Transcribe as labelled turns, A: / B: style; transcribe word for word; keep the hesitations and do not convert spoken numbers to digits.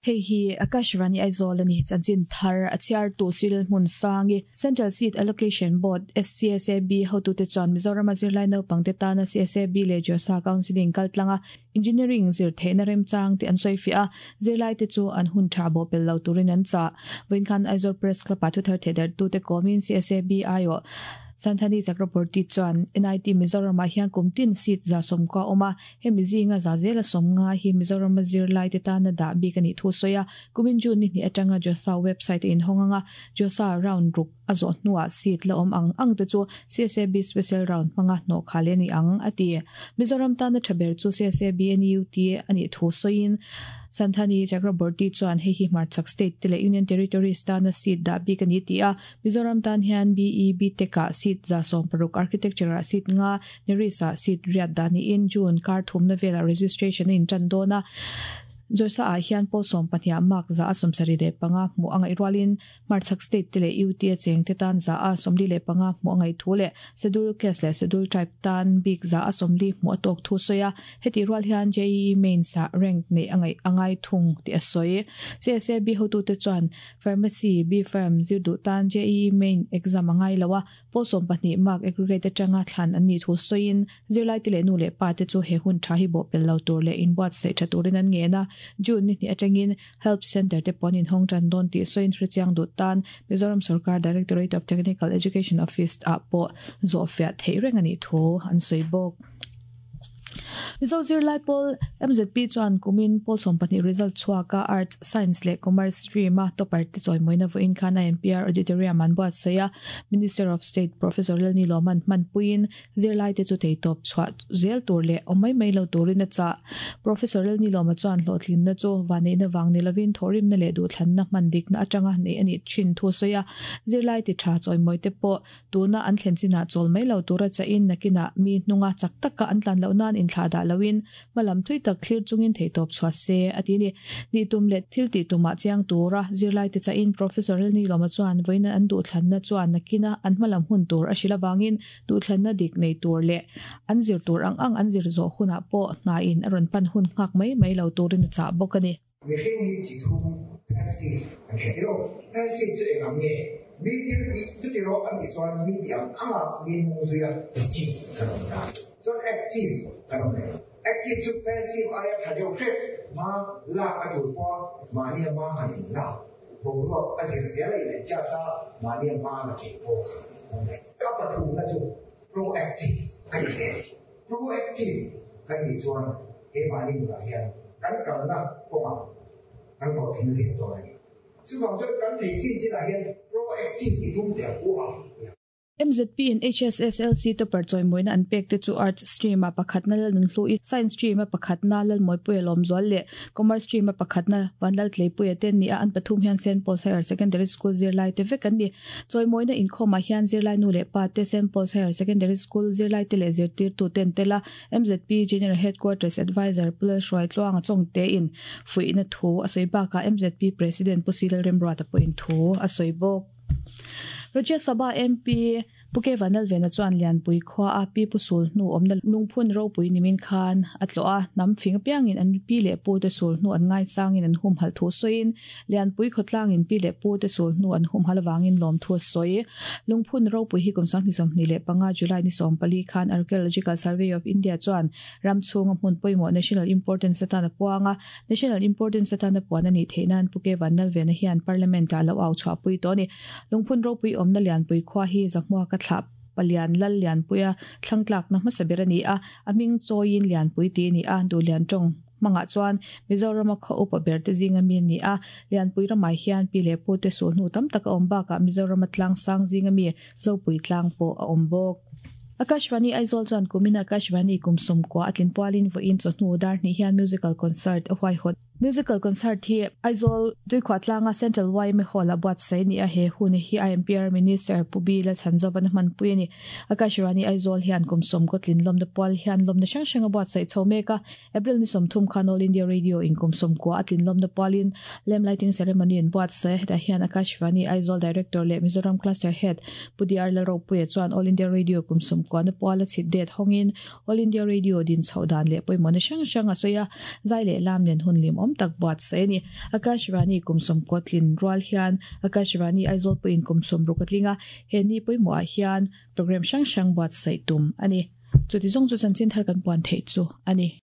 A: Hei hi Akashvani Aizawl ani chanchin thar a chhiar tu sil hmun sangi Central Seat Allocation Board S C S A B hotute chuan Mizoram zirlai naupang te tana C S A B leh JoSAA Counselling kaltlanga engineering zir theihna remchang te an sawi fiah a, zirlai te chu an hun tha bo pel lo turin an chah. Vawiin khan Aizawl Press Club ah thuthar thehdarh tu te kawmin C S A B aiawh Santhani Chakraborty chuan N I T Mizoram ah hian kum tin seat za sawmkua a awm a, hemi zinga za zela sawmnga hi Mizoram zirlai te tana dah bik ani thu sawi a. Kumin June ni hnih atanga JoSAA website a inhawng anga, JoSAA round ruk a zawh hnuah seat la awm ang ang te chu C S A B special round hmanga hnawh khal ani ang a ti. Mizoram tana tha ber chu C S A B N U T ani thu sawiin Santhani Chakraborty chuan hei hi hmarchhak state te leh Union Territories tana seat dah bik ani ti a. Mizoram tan hian B E B Tech ah seat za sawm paruk, architecture ah seat nga, NERIST ah seat riat dah niin June kar thumna velah registration a intan dawn a. JoSAA ah hian pawl sawm pahnih mark za a sawmsarih leh panga hmuh a ngaih rualin hmarchhak state te leh U T a cheng te tan za a sawmli leh panga hmuh a ngaih thu leh Schedule Caste leh Schedule Tribe tan bik za a sawmli hmuh a tawk thu sawi a. Heti rual hian J E E Mains ah rank nei a ngaih a ngai thung tih a sawi. C S A B hotute chuan Pharmacy B Pharm zir duh tan J E E Main exam a ngai lo a, pawl sawm pahnih mark aggregate atanga thlan an ni thu sawiin zirlai te leh nu leh pa te chu he hun tha hi bawh pel lo tur leh inbuatsaih tha turin an ngen a. June ni hnih atangin Help Center te pawn inhawng tan dawn tih sawiin hrechiang duh tan Mizoram Sarkar Directorate of Technical Education Office ah pawh zawh fiah theih reng ani thu an sawi bawk. Mizo zirlai pawl M Z P chuan kumin pawl sawm pahnih result chhuaka Arts, Science leh Commerce stream a topper te chawimawina vawiin khan I M P R Auditorium an buatsaih a. Minister of State Professor Lalnilawman hmanpuiin zirlai te chu theitawp chhuah zel tur leh awm mai mai lo turin a chah. Professor Lalnilawma chuan hlawhtlinna chu vanneihna wang ni lovin thawhrimna leh duhthlanna hman dikna atanga nei ani thin thu sawi a. Zirlai ti tha chawimawi te pawh tuna an thlen chinah chawl mai lo tura chahin nakinah mi hnunga chak taka an tlan loh nan inthlah dah loin hmalam thui tak thlir chungin theitawp chhuah se a ti ni. Ni tum leh thil ti tumah chiang tura zirlai te chahin Professor Lalnilawma chuan vawiin an duhthlanna chuan nakina an hmalam hun tur a hril awangin duhthlanna dik nei tur leh an zir tur ang ang an zir zawh hunah pawh hna in a rawn pan hun nghak mai mai lo turin a chah bawk ani.
B: Mihring hi chi thum, passive an hre tiro. Passive chu eng ang nge? Mi thil ti chuti rawh an tih chuan mi ti ang anga mi hnung zuia ti chi kan awm ta. Chuan active kan awm leh. Active chu passive aia tha deuh hret, ma lak a tul pawha mahni a ma han in lak, boruak a zir zel a in adjust a mahni a ma la thei pawh awm leh. A pathumna chu proactive kan ni hle. Proactive kan nih chuan he mahni nunah hian kan kalna kawngah kan hlawhtling zel dawn a ni. Chuvang chuan kan thei chin chinah hian proactive i tum teh ang u a.
A: M Z P in H S S L C topper chawimawina an pek te chu Arts stream a pakhatna Lalnunhlu i, Science stream a pakhatna Lalmawipuia Lawmzual leh Commerce stream a pakhatna Vanlal Tleipuia te ni a. An pathum hian Saint Paul's Higher Secondary School zirlai te vek an ni. Chawimawina inkhawmah hian zirlai nu leh pa te, Saint Paul's Higher Secondary School zirlai te leh zirtirtu ten tela M Z P General Headquarters Advisor Pulal Hruai Tluanga Chongte in fuihna thu a sawi bakah M Z P President Pu Silal Remruata pawhin thu a sawi bawk. Rajya Sabha M P Pu K Vanlalvena chuan Lianpui khua a pi pu sul hnu awmna lungphun ropui nimin khan a tlawh a. Hnam fing apiangin an pi leh pu te sul hnu an ngai sangin an hum hal thu sawiin Lianpui khawtlangin pi leh pu te sul hnu an hum hal awangin lawm thu a sawi. Lungphun ropui hi kum sanghnih sawmhnih leh panga July ni sawm pali khan Archaeological Survey of India chuan ram chhunga hmun pawimawh national importance atan a puang a. National importance atan a puan ani theih nan Pu K Vanlalvena hian Parliament ah lo au chhuahpui tawh a ni. Lungphun ropui awmna Lianpui khua hi Zahmuaka thlah palian lal Lianpuia thlangtlak na hmasa ber ani a, a hming chawiin Lianpui ti ani a. Duhlian tawng hmangah chuan Mizorama khaw upa ber te zinga mi ani a. Lianpui ramah hian pi leh pu te sul hnu tam tak a awm bakah Mizorama tlang sang zinga mi Zopui tlang pawh a awm bawk. Akashvani Aizawl chuan kumin Akashvani kum sawmkua a tlin pualin vawiin chawhnu dar hnih hian musical concert a huaihawt. Musical concert hi Aizawl Tuikhuah tlanga Central Y M A Hall a buatsaih ni a. He hun hi I M P R Minister Pu B Lalchhanzova na hmanpui ani. Akashvani Aizawl hian kum sawmkaw tlin lawmna pual hian lawmna hrang hrang a buatsaih chho mek a. April ni sawmthum khan All India Radio in kum sawmkua a tlin lawmna pualin lamp lighting ceremony in buatsaih. Hetah hian Akashvani Aizawl Director leh Mizoram Cluster Head Pu D R Lalropuia chuan All India Radio kum sawmkua kwa na pawala chit det hongin All India Radio din chhodan le poimona sang sang asoya zai le lam nen hun lim om tak buat se ni Akashvani kumsom kotlin rual hian Akashvani Aizawl po in kumsom rukatlinga he ni poimo a hian program sang sang buat sai tum ani chuti zong chu chanchin thar kan puan thei chu ani.